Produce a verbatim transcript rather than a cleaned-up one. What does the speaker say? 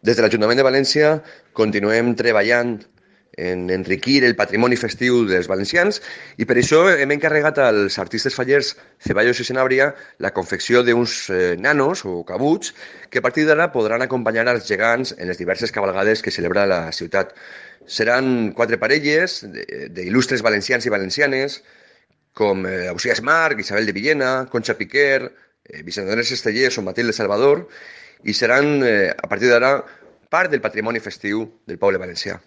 Des de l'Ajuntament de València continuem treballant en enriquir el patrimoni festiu dels valencians i per això hem encarregat als artistes fallers Ceballos i Sanabria la confecció d'uns eh, nanos o cabuts que a partir d'ara podran acompanyar als gegants en les diverses cabalgades que celebra la ciutat. Seran quatre parelles d'il·lustres valencians i valencianes com eh, Ausiàs Marc, Isabel de Villena, Concha Piquer, eh, Vicent Andrés Estellés o Matilde Salvador, i seran, eh, a partir d'ara, part del patrimoni festiu del poble valencià.